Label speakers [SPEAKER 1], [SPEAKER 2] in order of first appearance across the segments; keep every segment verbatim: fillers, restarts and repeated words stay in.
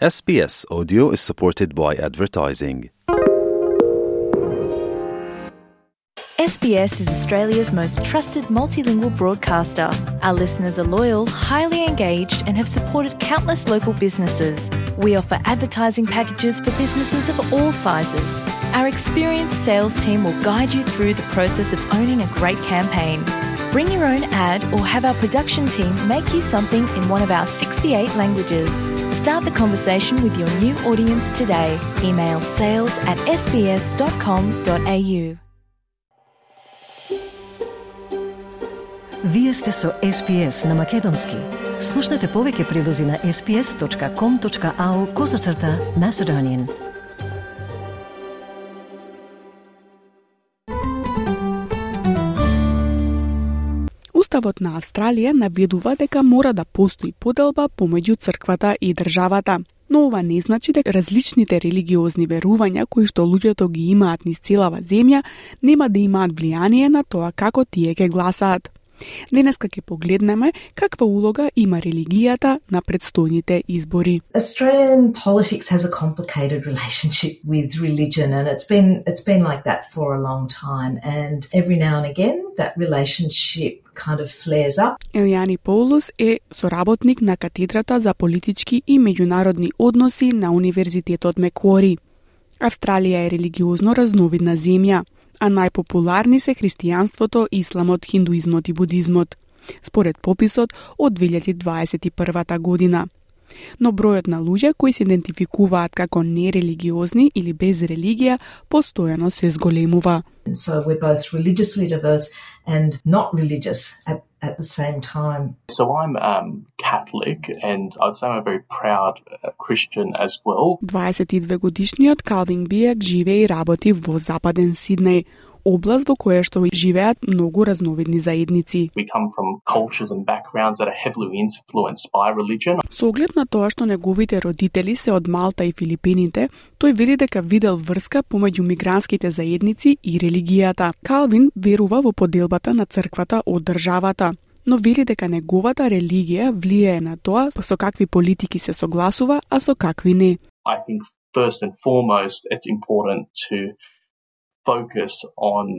[SPEAKER 1] S B S Audio is supported by advertising.
[SPEAKER 2] S B S is Australia's most trusted multilingual broadcaster. Our listeners are loyal, highly engaged, and have supported countless local businesses. We offer advertising packages for businesses of all sizes. Our experienced sales team will guide you through the process of owning a great campaign. Bring your own ad or have our production team make you something in one of our sixty-eight languages. Start the conversation with your new audience today. Email sales at s b s dot com dot a u.
[SPEAKER 3] Вие сте со С Б С на Македонски. Слушнете повеќе прилози на s b s dot com dot a u козацрта Macedonian.
[SPEAKER 4] Уставот на Австралија наведува дека мора да постои поделба помеѓу црквата и државата. Но ова не значи дека различните религиозни верувања кои што луѓето ги имаат низ целава земја нема да имаат влијание на тоа како тие ќе гласаат. Денеска ќе погледнеме каква улога има религијата на предстојните избори.
[SPEAKER 5] Australian politics has a complicated relationship with religion, and it's been it's been like that for a long time, and every now and again that relationship kind of flares up.
[SPEAKER 4] Елијани Паулус е соработник на катедрата за политички и меѓународни односи на Универзитетот Меквори. Австралија е религиозно разновидна земја, а најпопуларни се христијанството, исламот, хиндуизмот и будизмот, според пописот од две илјади дваесет и прва година. Но бројот на луѓе кои се идентификуваат како нерелигиозни или без религија постојано се зголемува.
[SPEAKER 5] So we're both religiously diverse and not religious at, at the same time.
[SPEAKER 6] So I'm um, Catholic, and I'd say I'm a very proud uh, Christian as well.
[SPEAKER 4] дваесет и две годишниот Калвин Бијак живее и работи во Западен Сиднеј, област во која што живеат многу разновидни заедници.
[SPEAKER 6] We come from cultures and backgrounds that are heavily influenced by religion.
[SPEAKER 4] Со оглед на тоа што неговите родители се од Малта и Филипините, тој вели дека видел врска помеѓу мигрантските заедници и религијата. Калвин верува во поделбата на црквата од државата, но вели дека неговата религија влијае на тоа со какви политики се согласува, а со какви не.
[SPEAKER 6] I think first and foremost it's important to focus on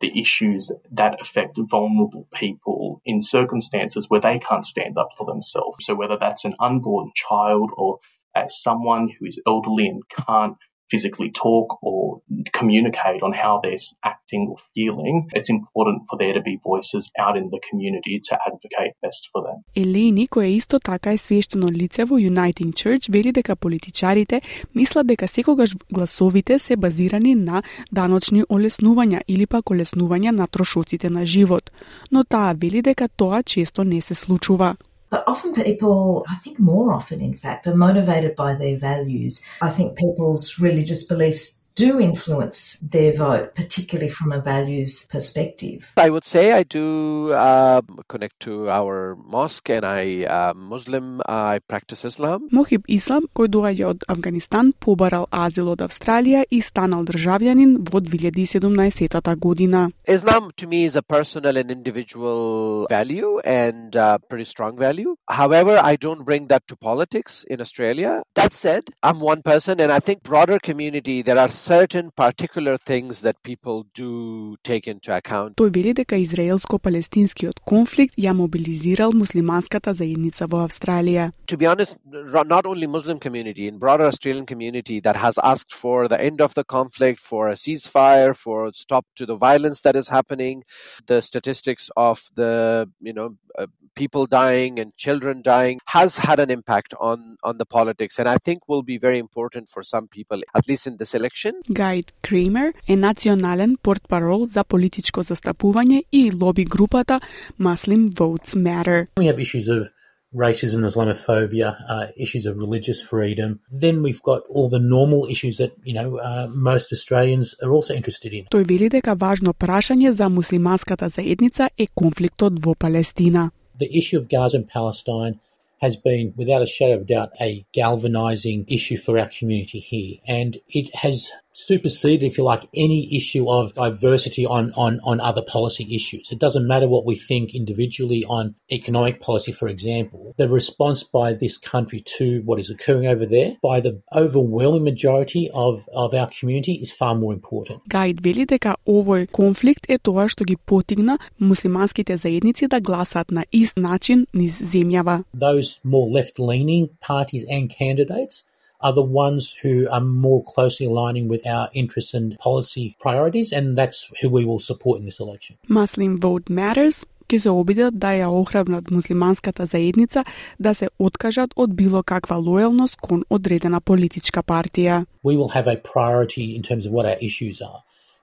[SPEAKER 6] the issues that affect vulnerable people in circumstances where they can't stand up for themselves. So whether that's an unborn child or as someone who is elderly and can't physically talk or communicate on how they're acting or feeling, it's important for there to be voices out in the community to advocate best for them.
[SPEAKER 4] Елени, која исто така е свештено лице во Uniting Church, вели дека политичарите мислат дека секогаш гласовите се базирани на даночни олеснувања или пак олеснувања на трошоците на живот, но таа вели дека тоа често не се случува.
[SPEAKER 5] But often people, I think more often in fact, are motivated by their values. I think people's religious beliefs do influence their vote, particularly from a values perspective.
[SPEAKER 7] I would say I do uh, connect to our mosque, and I am uh, Muslim. I practice Islam.
[SPEAKER 4] Мохиб Ислам, кој доаѓа од Афганистан, побарал азил од Австралија и станал државјанин во две илјади и седумнаесетата година.
[SPEAKER 7] Islam to me is a personal and individual value, and uh, pretty strong value. However, I don't bring that to politics in Australia. That said, I'm one person, and I think broader community there are certain particular things that people do take into account.
[SPEAKER 4] Тој вели дека израелско-палестинскиот конфликт ја мобилизирал муслиманската заедница во Австралија.
[SPEAKER 7] To be honest, not only Muslim community, in broader Australian community that has asked for the end of the conflict, for a ceasefire, for a stop to the violence that is happening, the statistics of the, you know, uh, people dying and children dying has had an impact on, on the politics, and I think will be very important for some people, at least in this election.
[SPEAKER 4] Гайд Кремер е национален портпарол за политичко застапување и лоби групата Muslim Votes Matter.
[SPEAKER 8] We have issues of racism, Islamophobia, uh, issues of religious freedom. Then we've got all the normal issues that, you know, uh, most Australians are also interested in.
[SPEAKER 4] Тој вели дека важно прашање за муслиманската заедница е конфликтот во Палестина.
[SPEAKER 8] The issue of Gaza and Palestine has been, without a shadow of doubt, a galvanizing issue for our community here. And it has superseded, if you like, any issue of diversity on, on, on other policy issues. It doesn't matter what we think individually on economic policy, for example. The response by this country to what is occurring over there, by the overwhelming majority of, of our community, is far more important.
[SPEAKER 4] Гаид вели дека овој конфликт е тоа што ги потигна муслиманските заедници да гласаат на ист начин низ земјава.
[SPEAKER 8] Those more left-leaning parties and candidates are the ones who are more closely aligning with our interests and policy priorities, and that's who we will support in this election.
[SPEAKER 4] Muslim Vote Matters ќе се обидат да ја охрабрат муслиманската заедница да се откажат од било каква лојалност кон одредена политичка партија.
[SPEAKER 8] We will have a priority in terms of what our issues are,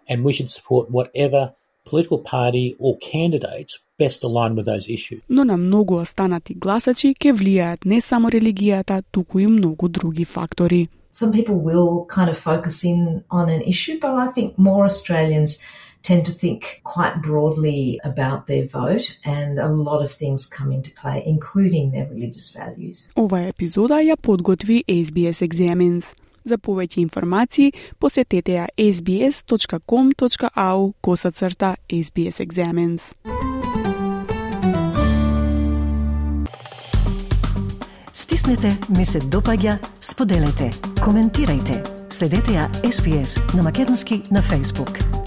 [SPEAKER 8] and we should support whatever political party or candidates best aligned with those issues.
[SPEAKER 4] Но на многу останати гласачи ќе влијаат не само религијата, туку и многу други фактори.
[SPEAKER 5] Some people will kind of focus in on an issue, but I think more Australians tend to think quite broadly about their vote, and a lot of things come into play, including their religious values.
[SPEAKER 4] Ова епизода ја подготви S B S Examines. За повеќе информации посетете ја s b s dot com dot a u косацрта S B S Examines.
[SPEAKER 3] Стиснете, ми се допаѓа, споделете, коментирајте. Следете ја S B S на македонски на Facebook.